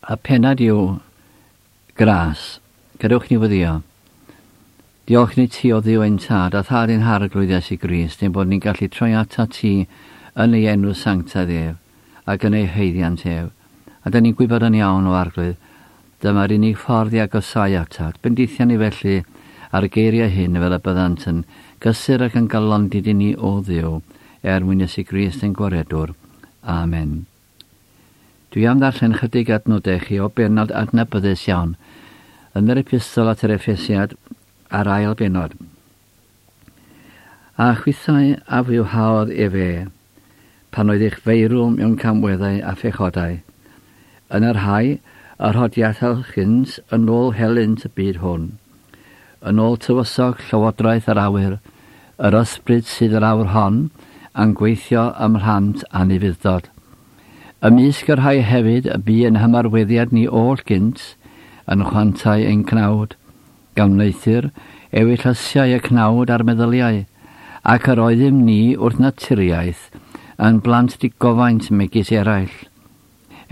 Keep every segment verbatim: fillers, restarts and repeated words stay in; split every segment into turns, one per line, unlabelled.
A pennad yw Gras. Gadewch ni weddïo. Diolch ni ti o Dduw ein tad, a thad ein harglwydd Iesu Grist, ein bod ni'n gallu troi atat ti yn ei enw sanctaidd ef, ac yn ei haeddiant ef. A da ni'n gwybod yn iawn o arglwydd, dyma'r unig ffordd i agosau atat. Bendithia ni felly ar y geiriau hyn fel y byddant yn gysur ac yn galondid i ni o Dduw, er mwyn Iesu Grist ein gwaredwr. Amen. Dwi am ddarllen chydig adnodau chi o bennod adnabyddus iawn yn yr epistol at yr Effesiad a'r ail bennod. A chwithau a fywhaodd efe, pan oedd eich feirw mewn camweddau a phechodau, yn yr rhai y rhodiadau gynt yn ôl helynt y byd hwn, yn ôl tywysog llywodraeth yr awyr, yr ysbryd sydd yr awr hon, yn gweithio ym mhlant anufudd-dod. Ymysg y rhai hefyd y bu yn hymarweddiad ni oll gynt, yn chwantau ein cnawd, gan wneuthur ewyllysiau y cnawd a'r meddyliau, ac yr oeddym ni wrth naturiaeth yn blant digofaint megis eraill.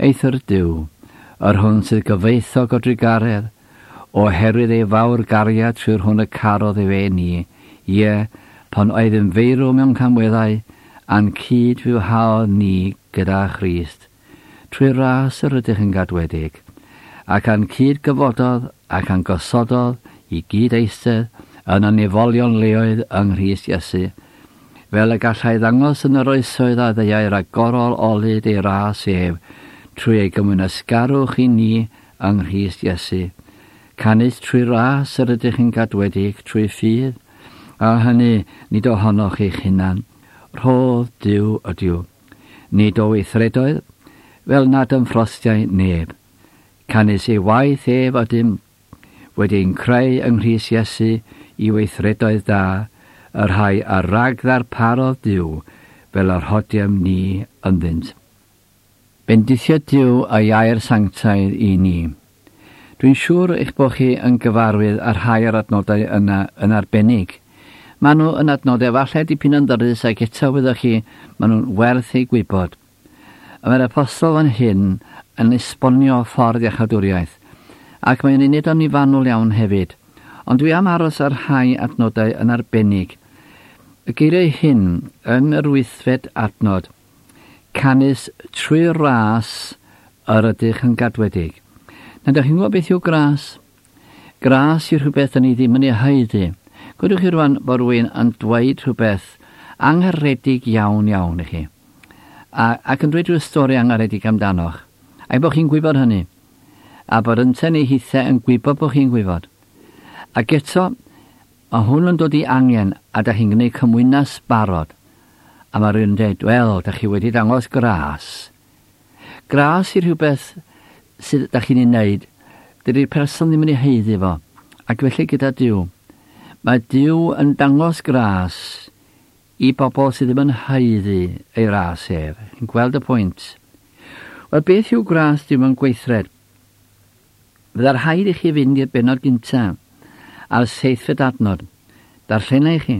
Eithr Duw, yr hwn sydd gyfoethog o drugaredd, oherwydd ei fawr gariad trwy'r hwn y carodd efe ni, ie, pan oeddym feirw mewn camweddau, a'n cyd fywhaodd ni gyda Christ. Trwy ras yr ydych yn gadwedig, ac a'n cyd gyfododd ac a'n gosododd i gyd eistedd yn y nefolion leoedd yng Nghrist Iesu, fel y gallai ddangos yn yr oesoedd a ddeuai ragorol olud ei ras ef, trwy ei gymwynasgarwch i ni yng Nghrist Iesu. Canys trwy ras yr ydych yn gadwedig trwy ffydd, a hynny nid ohonoch eich hunan. Rhodd Duw ydyw. Nid o weithredoedd, fel nad ymffrostiai neb. Canys ei waith ef ydym, wedi ein creu yng Nghrist Iesu i weithredoedd da, y rhai a rag ddarparodd Duw, fel yr hodiem ni ynddynt. Bendithio Duw a'i air sanctaidd i ni. Dwi'n siŵr eich bod chi yn gyfarwydd â rhai o'r adnodau yna yn arbennig. Maen nhw yn adnodau falle dipyn yn ddyrus ac eto wyddoch chi, maen nhw'n werth eu gwybod. A mae'r apostol fan hyn yn esbonio ffordd iachawdwriaeth, ac mae'n ei wneud o'n fanwl iawn hefyd. Ond dwi am aros ar rhai adnodau yn arbennig. Y geiriau hyn yn yr wythfed adnod, canys trwy ras yr ydych yn gadwedig. Na, ydych chi'n gwybod beth yw gras? Gras yw rhywbeth yn ei ddim yn ei haeddu. Gwedwch chi rwan bod rhywun yn dweud rhywbeth angharedig iawn iawn i chi. A, ac yn dweud rhyw stori angharedig amdanoch. Ac bod chi'n gwybod hynny. A bod yntau neu hithau yn gwybod bod chi'n gwybod. Ac eto, mae hwn yn dod i angen a da chi'n gwneud cymwynas barod. A mae rhywun yn dweud, wel, da chi wedi dangos gras. Gras i rhywbeth sydd da chi'n ei wneud, dydy'r person ddim yn ei haeddu fo. Ac felly gyda Duw. Mae Duw yn dangos gras i bobl sydd ddim yn haeddu ei ras ef. Yn gweld y pwynt. Wel, beth yw gras Duw yn gweithred? Fydda'r rhaid i chi fynd i'r bennod gyntaf a'r seithfed adnod. Darllena i chi.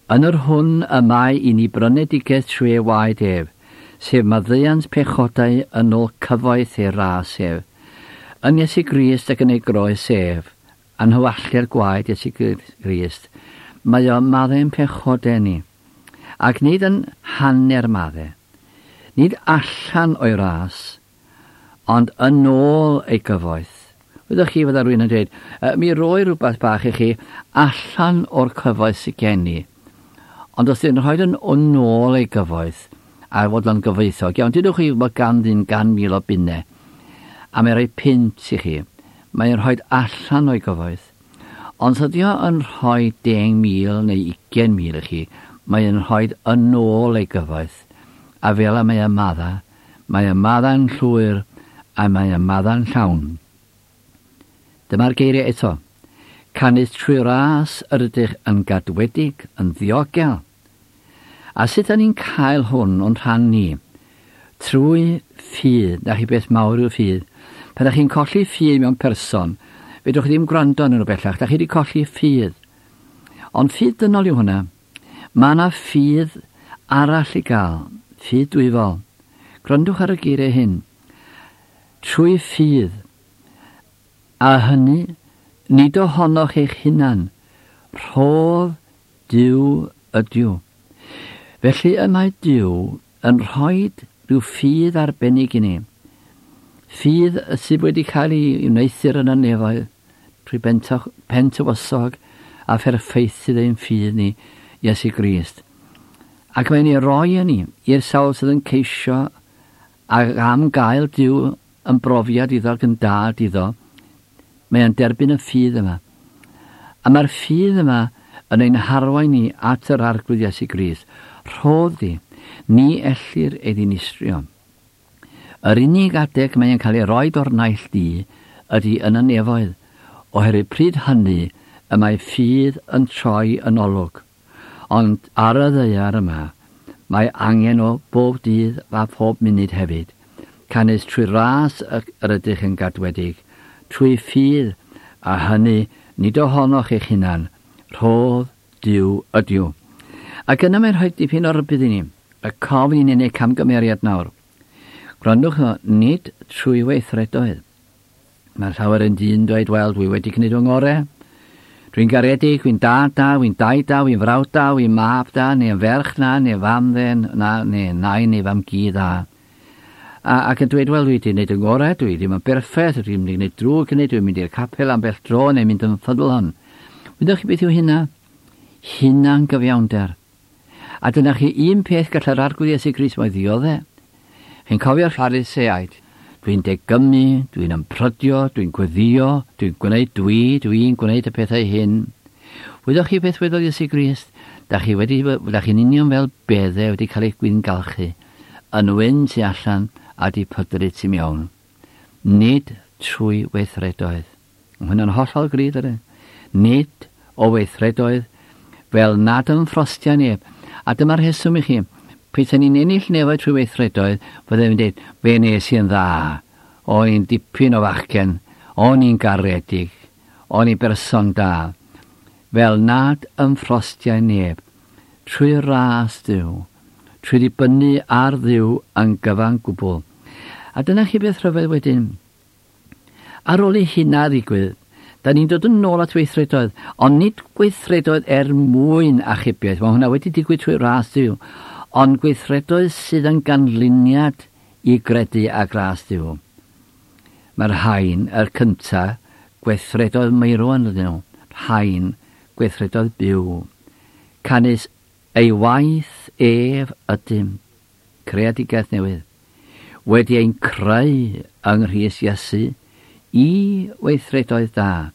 Yn yr hwn y mae i ni brynedigaeth trwy ei waed ef, sef maddeuant pechodau yn ôl cyfoeth ei ras ef. Yn Iesu Grist ac yn ei groes ef, a'n hywalltu'r gwaed Iesu Grist, mae o'n maddau'n pechodau ni, ac nid yn hanner maddau, nid allan o'i ras, ond yn ôl ei gyfoeth. Wyddoch chi fydda rhywun yn dweud, mi roi rhywbeth bach i chi allan o'r cyfoeth sydd gen i. Ond os ydyn rhoi yn ôl ei gyfoeth, a fod o'n gyfoethog, iawn, dydwch chi bod gan ddyn gan mil o bunnau, a mae'n rhoi punt i chi, mae'n rhoi allan o'i gyfoeth. Ond os ydy o yn rhoi deng mil neu ugain mil i chi, mae'n rhoi yn ôl ei gyfoeth. A fel y mae y madda, mae y madda'n llwyr a mae y madda'n llawn. Dyma'r geiriau eto. Canys trwy ras yr ydych yn gadwedig, yn ddiogel. A sut ydyn ni'n cael hwn o'n rhan ni? Trwy ffydd. Na chi beth mawr yw ffydd. Pan ydych chi'n colli ffydd mewn person, fedrwch chi ddim gwrando arnyn nhw bellach. Da chi wedi colli ffydd. Ond ffydd dynol yw hwnna. Mae yna ffydd arall i gael. Ffydd dwyfol. Gwrandwch ar y geiriau hyn. Trwy ffydd, a hynny nid ohonoch eich hunan, rhodd Duw ydyw. Felly y mae Duw yn rhoi rhyw ffydd arbennig i ni. Ffydd sydd wedi cael ei wneuthur yn y nefoedd trwy pentywysog a pherffeithydd ein ffydd ni, Iesu Grist. Ac mae'n ei roi yn ni i'r sawl sydd yn ceisio ac am gael Duw yn brofiad iddo ac yn dad iddo. Mae'n derbyn y ffydd yma. A mae'r ffydd yma yn ein harwain ni at yr Arglwydd Iesu Grist. Rhodd di, ni ellir ei ddinistrio. Yr unig adeg mae'n cael ei roi o'r naill du ydy yn y nefoedd, oherwydd pryd hynny y mae ffydd yn troi yn olwg. Ond ar y ddaear yma, mae angen o bob dydd a phob munud hefyd. Canys trwy ras yr ydych yn gadwedig, trwy ffydd, a hynny nid ohonoch eich hunan, rhodd Duw ydyw. Ac yna mae'n rhoi dipyn o rybudd i ni, y cof i ni'n ei camgymeriad nawr. Gwrandwch o, nid trwy weithredoedd. Mae llawer yn dyn dweud, wel, dwi wedi gwneud fy ngorau. Dwi'n garedig, dwi'n dad da, dwi'n dau da, dwi'n frawd da, dwi'n mab da, neu'n ferch na, neu fam dden, na, neu nain neu fam gi dda. A, ac yn dweud, wel, dwi wedi gwneud yn ngorau, dwi ddim yn berffaith, dwi'n mynd i gwneud drwg hynny, dwi'n mynd i'r capel am bell dro, neu mynd yn ffyddlon. Wyddoch chi beth yw hynna? Hunan gyfiawnder. A dyna chi un peth gall yr Arglwydd Iesu Grist mae ddioddef. Chi'n cofio'r Phariseaid? Dwi'n degymu, dwi'n ymprydio, dwi'n gweddio, dwi'n gwneud dwi, dwi'n gwneud y pethau hyn. Wyddoch chi beth wedodd Iesu Grist? Da chi wedi, da chi'n union fel beddau wedi cael eich gwyngalchu, yn wyn tu allan a di pydru tu mewn. Nid trwy weithredoedd. Mae hwnna'n hollol gryf, ydy. Nid o weithredoedd fel nad ymffrostia neb. A dyma'r rheswm i chi. Petai ni'n ennill nefoedd trwy weithredoedd, fyddai'n dweud, fe nes i'n dda, o'n i'n dipyn o fachgen, o'n i'n garedig, o'n i'n berson da. Fel nad ymffrostiau neb, trwy ras Duw, trwy ddibynnu ar Dduw yn gyfan gwbl. A dyna chi beth rhyfedd wedyn. Ar ôl i hynna ddigwydd, da ni'n dod yn ôl at weithredoedd, ond nid gweithredoedd er mwyn achubiaeth. Mae hwnna wedi digwydd trwy ras Duw, ond gweithredoedd sydd yn ganlyniad i gredu a gras Duw. Mae'r rhain, yr cynta, gweithredoedd meirw yn ydyn nhw, rhain, gweithredoedd byw. Canys ei waith ef ydym, creadigaeth newydd, wedi ein creu yng Nghrist Iesu i weithredoedd da.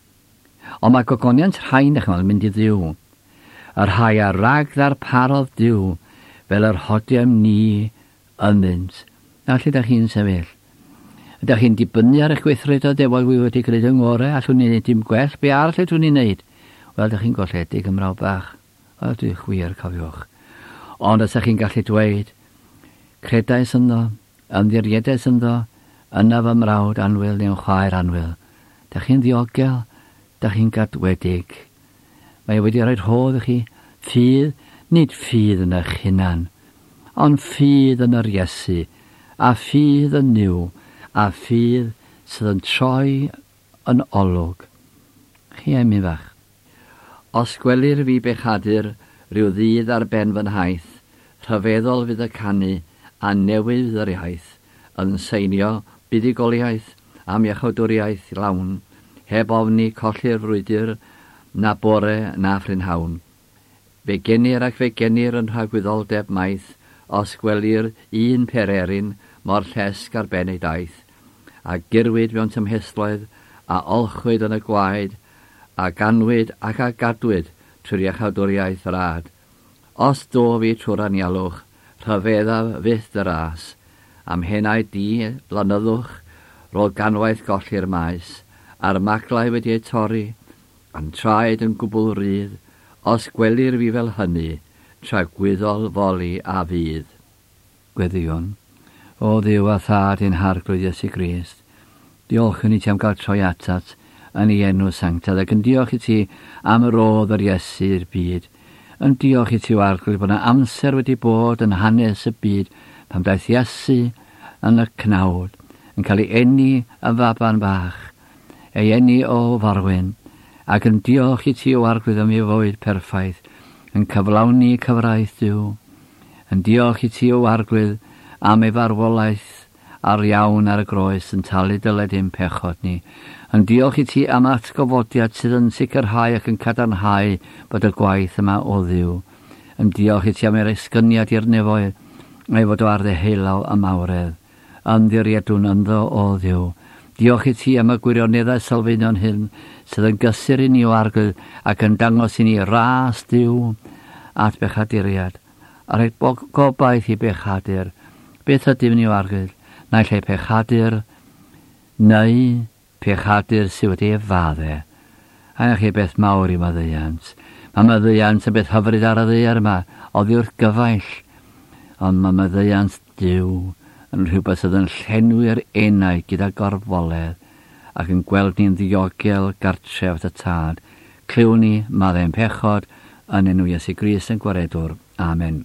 Ond mae gogoniant rhain, eich yn mynd i Dduw. Y rhai a rag ddarparodd Duw, fel yr hodiem ni ynddynt. Na lle da chi'n sefyll? Ydych chi'n dibynnu ar eich gweithredoedd efo wi wedi gwneud yng ngorau, allwn ni wneud dim gwell, be arall ydw ni'n wneud? Wel, ydych chi'n golledig ymraw bach. Wel, dwi'n chwir, cofiwch. Ond os ydych chi'n gallu dweud, credais ynddo, ymddiriedais ynddo, yna fy mrawd annwyl neu'n chwaer annwyl. Dych chi'n ddiogel, dych chi'n gadwedig. Mae wedi rhoi rhodd i chi, ffydd, nid ffydd yn eich hunan, ond ffydd yn yr Iesu, a ffydd yn Nuw, a ffydd sydd yn troi yn olwg. Chi emi fach. Os gwelir fi bechadur rhyw ddydd ar ben fy nhaith, rhyfeddol fydd y canu a newydd fydd yr iaith, yn seinio buddugoliaeth am iachawdwriaeth lawn, heb ofni colli'r frwydr na bore na phrynhawn. Fe genir ac fe genir yn rhagwyddoldeb maith, os gwelir un pererin mor llesg ar ben ei daith, a gyrwyd mewn tymhestloedd, a olchwyd yn y gwaed, a ganwyd ac a gadwyd trwy'r iachawdwriaeth rad. Os do fi trwy'r anialwch, rhyfeddaf fyth y ras, am henau di blynyddwch, rôl ganwaith golli'r maes, a'r maglau wedi eu torri, a'n traed yn gwbl rydd, os gwelir fi fel hynny, tragwyddol foli a fydd. Gweddïwn, o Dduw a Thad ein Harglwydd Iesu Grist, diolchwn i ti am gael troi atat yn ei enw sanctaidd, ac yn diolch i ti am yr rodd yr Iesu i'r byd. Yn diolch i ti, o Arglwydd, bod yna amser wedi bod yn hanes y byd pan daeth Iesu yn y cnawd, yn cael ei eni yn faban bach, ei eni o forwyn, ac yn diolch i ti o Arglwydd am ei fywyd perffaith, yn cyflawni cyfraith Duw, yn diolch i ti o Arglwydd am ei farwolaeth ar iawn ar y groes yn talu dyled ein pechod ni, yn diolch i ti am atgyfodiad sydd yn sicrhau ac yn cadarnhau bod y gwaith yma o Dduw, yn diolch i ti am yr esgyniad i'r nefoedd, a'i fod o ar ddeheulaw y mawredd, ymddiriedwn ynddo o Dduw. Diolch i ti am y gwirioneddau sylfaenol hyn sydd yn gysur i ni o Arglwydd ac yn dangos i ni ras Duw at bechaduriad, a rhoi gobaith i bechadur. Beth ydym ni o Arglwydd? Naill ai pechadur neu pechadur sydd wedi ei fadde. A 'na chi beth mawr i maddeuant. Mae maddeuant yn beth hyfryd ar y ddaear yma, oddi wrth gyfaill. Ond mae maddeuant Duw yn rhywbeth sydd yn llenwi'r enau gyda gorfoledd ac yn gweld ni'n ddiogel gartref y Tad. Clywn ni, maddau'n pechod, yn enw Iesu Grist ein Gwaredwr. Amen.